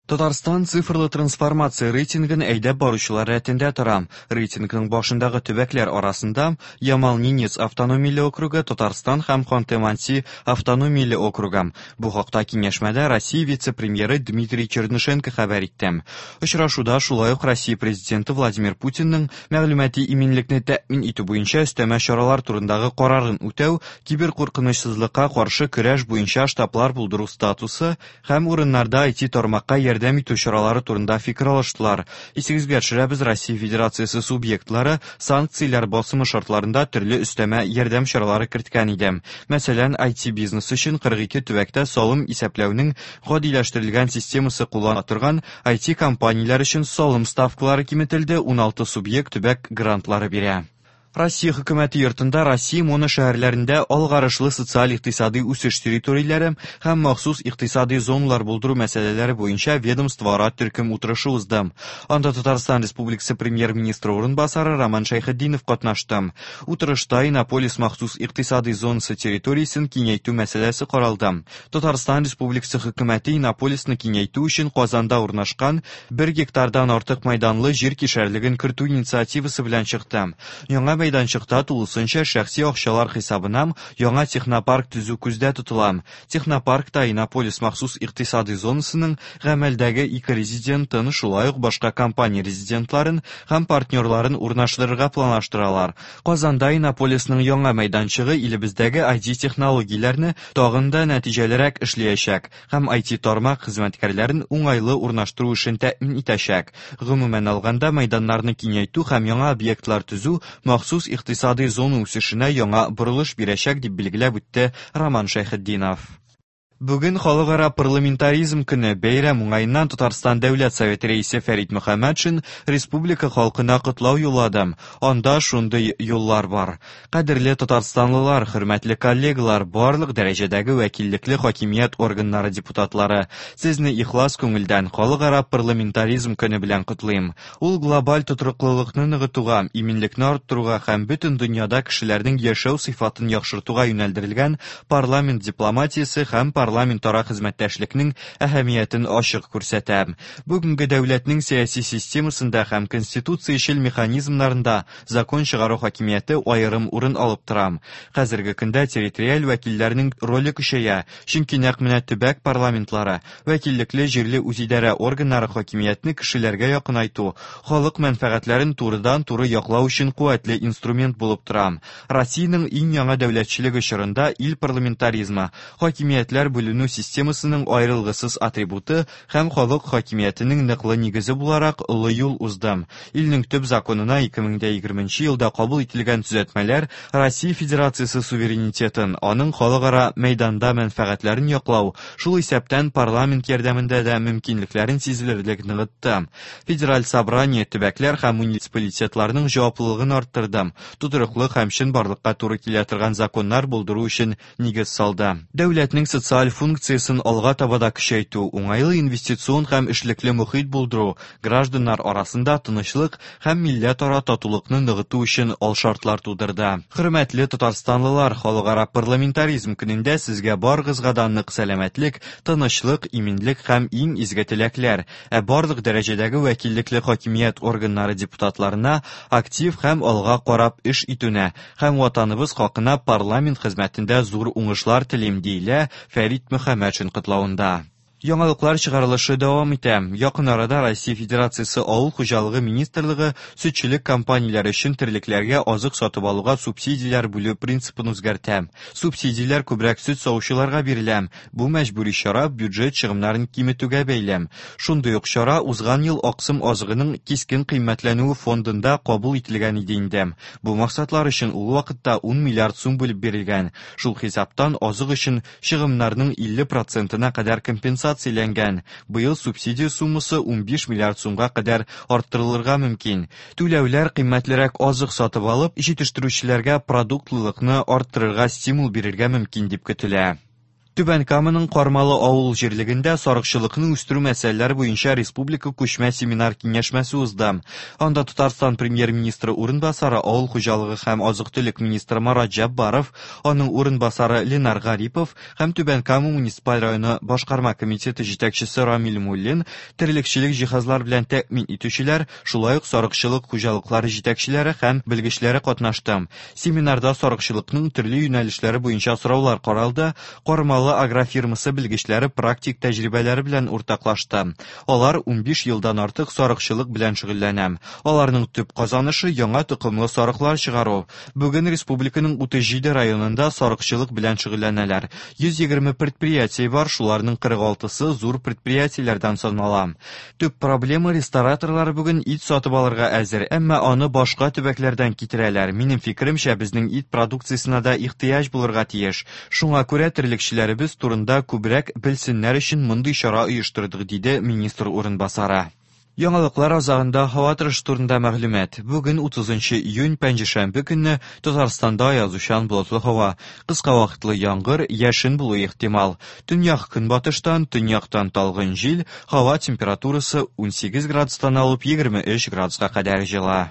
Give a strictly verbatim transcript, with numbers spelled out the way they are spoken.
Татарстан цифрлы трансформация рейтингын әйдәп баручылар рәтендә тора. Рейтингның башындагы төбәкләр арасында Ямал-Ненец автономияле округы, Татарстан һәм Ханты-Манси автономияле округы. Бу хакта киңәшмәдә Россия вице-премьеры Дмитрий Чернышенко хәбәр итте. Очрашуда шулай ук Россия президенты Владимир Путинның мәгълүмати иминлекне тәэмин итү буенча өстәмә чаралар турындагы карарын үтәү, киберкуркынычсызлыкка каршы көрәш буенча штаблар булдыру статусы һәм урыннарда ай ти тармакка ярдәм итү чаралары турында фикер алыштылар. Исегезгә төшерәбез, Россия Федерациясе субъектлары санкцияләр басымы шартларында төрле өстәмә ярдәм чаралары керткән иде. Мәсәлән, ай ти бизнес өчен кырык ике төбәктә салым исәпләүнең гадиләштерелгән системасы куллана торган ай ти компанияләр өчен салым ставкалары киметелде, уналты субъект төбәк грантлары бирә. Россия хөкүмәте йортында Россия моно шәһәрләрендә алгарышлы социаль-икътисади үсеш территорияләре һәм махсус икътисади зоналар булдыру мәсьәләләре буенча ведомствоара төркем утырышы узды. Анда Татарстан Республикасы премьер-министры урынбасары Роман Шәйхетдинов катнашты. Утырышта Иннополис махсус икътисади зонасы территориясен киңәйтү мәсьәләсе каралды. Татарстан Республикасы хөкүмәте Иннополисны киңәйтү өчен Казанда урнашкан бер гектардан артык майданлы җир кишәрлеген кертү инициативасы белән чыкты. Яңа мәйданчыкта тулысынча шәхси акчалар хисабына яңа технопарк төзү күздә тотыла. Технопаркта Иннополис махсус икътисади зонасының гамәлдәге ике резидентын, шулай ук башка компания резидентларын һәм партнерларын урнаштырырга планлаштыралар. Казанда Иннополисның яңа мәйданчыгы илебездәге ай ти технологияләрне тагын да нәтиҗәлерәк эшләячәк һәм ай ти тармак хезмәткәрләрен уңайлы урнаштыру эшен тәэмин итәчәк. Гомумән алганда, мәйданнарны киңәйтү һәм яңа объектлар төзү махсус икътисади зона үсешенә яңа борылыш бирәчәк, дип билгеләп үтте Роман Шәйхетдинов. Бүген Халыкара парламентаризм көне. Бәйрәм уңаеннан Татарстан Дәүләт Советы рәисе Фәрит Мөхәммәтшин республика халкына котлау юллады. Анда шундый юллар бар. Кадерле татарстанлылар, хөрмәтле коллегалар, барлык дәрәҗәдәге вәкиллекле хакимият органнары депутатлары, сезне ихлас күңелдән Халыкара парламентаризм көне белән котлыйм. Ул глобаль тотрыклылыкны ныгытуга, иминлекне арттыруга һәм бөтен дөньяда кешеләрнең яшәү сыйфатын яхшыртуга юнәлдерелгән парламент дипломатиясе һәм парламентара хезмәттәшлекнең әһәмиятен ачык күрсәтә. Бүгенге дәүләтнең сәяси системасында һәм конституциячел механизмнарында закон чыгару хакимияте аерым урын алып тора. Хәзерге көндә территориаль вәкилләрнең роле көчәя, чөнки нәкъ менә төбәк парламентлары, вәкиллекле җирле үзидарә органнары хакимиятне кешеләргә якынайту, халык мәнфәгатьләрен турыдан-туры яклау өчен куәтле инструмент булып тора. Россиянең иң яңа дәүләтчелеге чорында ил парламентаризмы, хакимиятләр бүленү системасының аерылгысыз атрибуты һәм халык хакимиятенең ныклы нигезе буларак олы юл узды. Илнең төп законына ике мең дә егерменче елда кабул ителгән төзәтмәләр Россия Федерациясе суверенитетын, аның халыкара мәйданда мәнфәгатьләрен яклау, шул исәптән парламент ярдәмендә дә мөмкинлекләрен сизелерлек ныгытты. Федераль собрание төбәкләр һәм муниципалитетларның җаваплылыгын арттырды, тотрыклы һәм чынбарлыкка туры килә торган законнар булдыру өчен нигез салды. Дәүләтнең социаль функциясын алга таба да көчәйтү, уңайлы инвестицион һәм эшлекле мохит булдыру, гражданнар арасында тынычлык һәм милләтара татулыкны ныгыту өчен алшартлар тудырды. Хөрмәтле татарстанлылар, Халыкара парламентаризм көнендә сезгә барыгызга да нык сәламәтлек, тынычлык, иминлек һәм иң изге теләкләр, ә барлык дәрәҗәдәге вәкиллекле хакимият органнары депутатларына актив һәм алга карап эш итүне һәм ватаныбыз хакына парламент хезмәтендә зур уңышлар телим, диелә Фәрит Мөхәммәтшин котлавында. Яңалыклар чыгарылышы дәвам итә. Якын арада Россия Федерациясе Авыл хуҗалыгы министрлыгы сөтчелек компанияләре өчен терлекләргә азык сатып алуга субсидияләр бүлү принцибын үзгәртә. Субсидияләр күбрәк сөт савучыларга бирелә. Бу мәҗбүри чара бюджет чыгымнарын киметүгә бәйле. Шундый ук чара узган ел аксым азыгының кискен кыйммәтләнүе фондында кабул ителгән иде инде. Бу максатлар өчен ул вакытта ун миллиард сум бүлеп бирелгән. Шул хисаптан азык өчен чыгымнарның илле процентына кадәр компенсация компенсацияләнгән. Быел субсидия суммасы унбиш миллиард сумга кадәр арттырылырга мөмкин. Түләүләр кыйммәтлерәк азык сатып алып, җитештерүчеләргә продуктлылыкны арттырырга стимул бирергә мөмкин дип көтелә. Түбән Каманың Кармалы авыл җирлегендә сарыкчылыкны үстерү мәсьәләләре буенча республика күчмә семинар киңәшмәсе узды. Анда Татарстан премьер-министры урынбасары, авыл хуҗалыгы һәм азык-төлек министры Марат Җәббаров, аның урынбасары Ленар Гарипов һәм Түбән Кама муниципаль районы башкарма комитеты җитәкчесе Рамил Муллин, терлекчелек җиһазлар белән тәэмин итүчеләр, шулай ук сарыкчылык хуҗалыклары җитәкчеләре һәм белгечләре катнашты. Семинарда сарыкчылыкның төрле юнәлешләре буенча сораулар каралды. Кармалы агрофирмасы белгечләре практик тәҗрибәләре белән уртаклашты. Алар унбиш елдан артык сарыкчылык белән шөгыльләнә. Аларның төп казанышы яңа токымлы сарыклар чыгару. Бүген республиканың утыз җиде районында сарыкчылык белән шөгыльләнәләр. Йөз егерме предприятие бар, шуларның кырык алтысы зур предприятиеләрдән санала. Төп проблема рестораторлар бүген ит сатып алырга әзер, әмма аны башка төбәкләрдән китерәләр. Минем фикеремчә, безнең ит продукциясенә дә ихтыяҗ булырга тиеш. Шуңа күрә терлекчеләребез турында күбрәк белсеннәр өчен мондый чара оештырдык, диде министр урынбасары. Яңалыклар азагында һава торышы турында мәгълүмат. Бүген утызынчы июнь, пәнҗешәмбе көнне Татарстанда аязучан болытлы һава. Кыска вакытлы яңгыр, яшен булуы ихтимал. Төньяк көнбатыштан, төньяктан талгын җил, һава температурасы унсигез градустан алып егерме өч градуска кадәр җылы.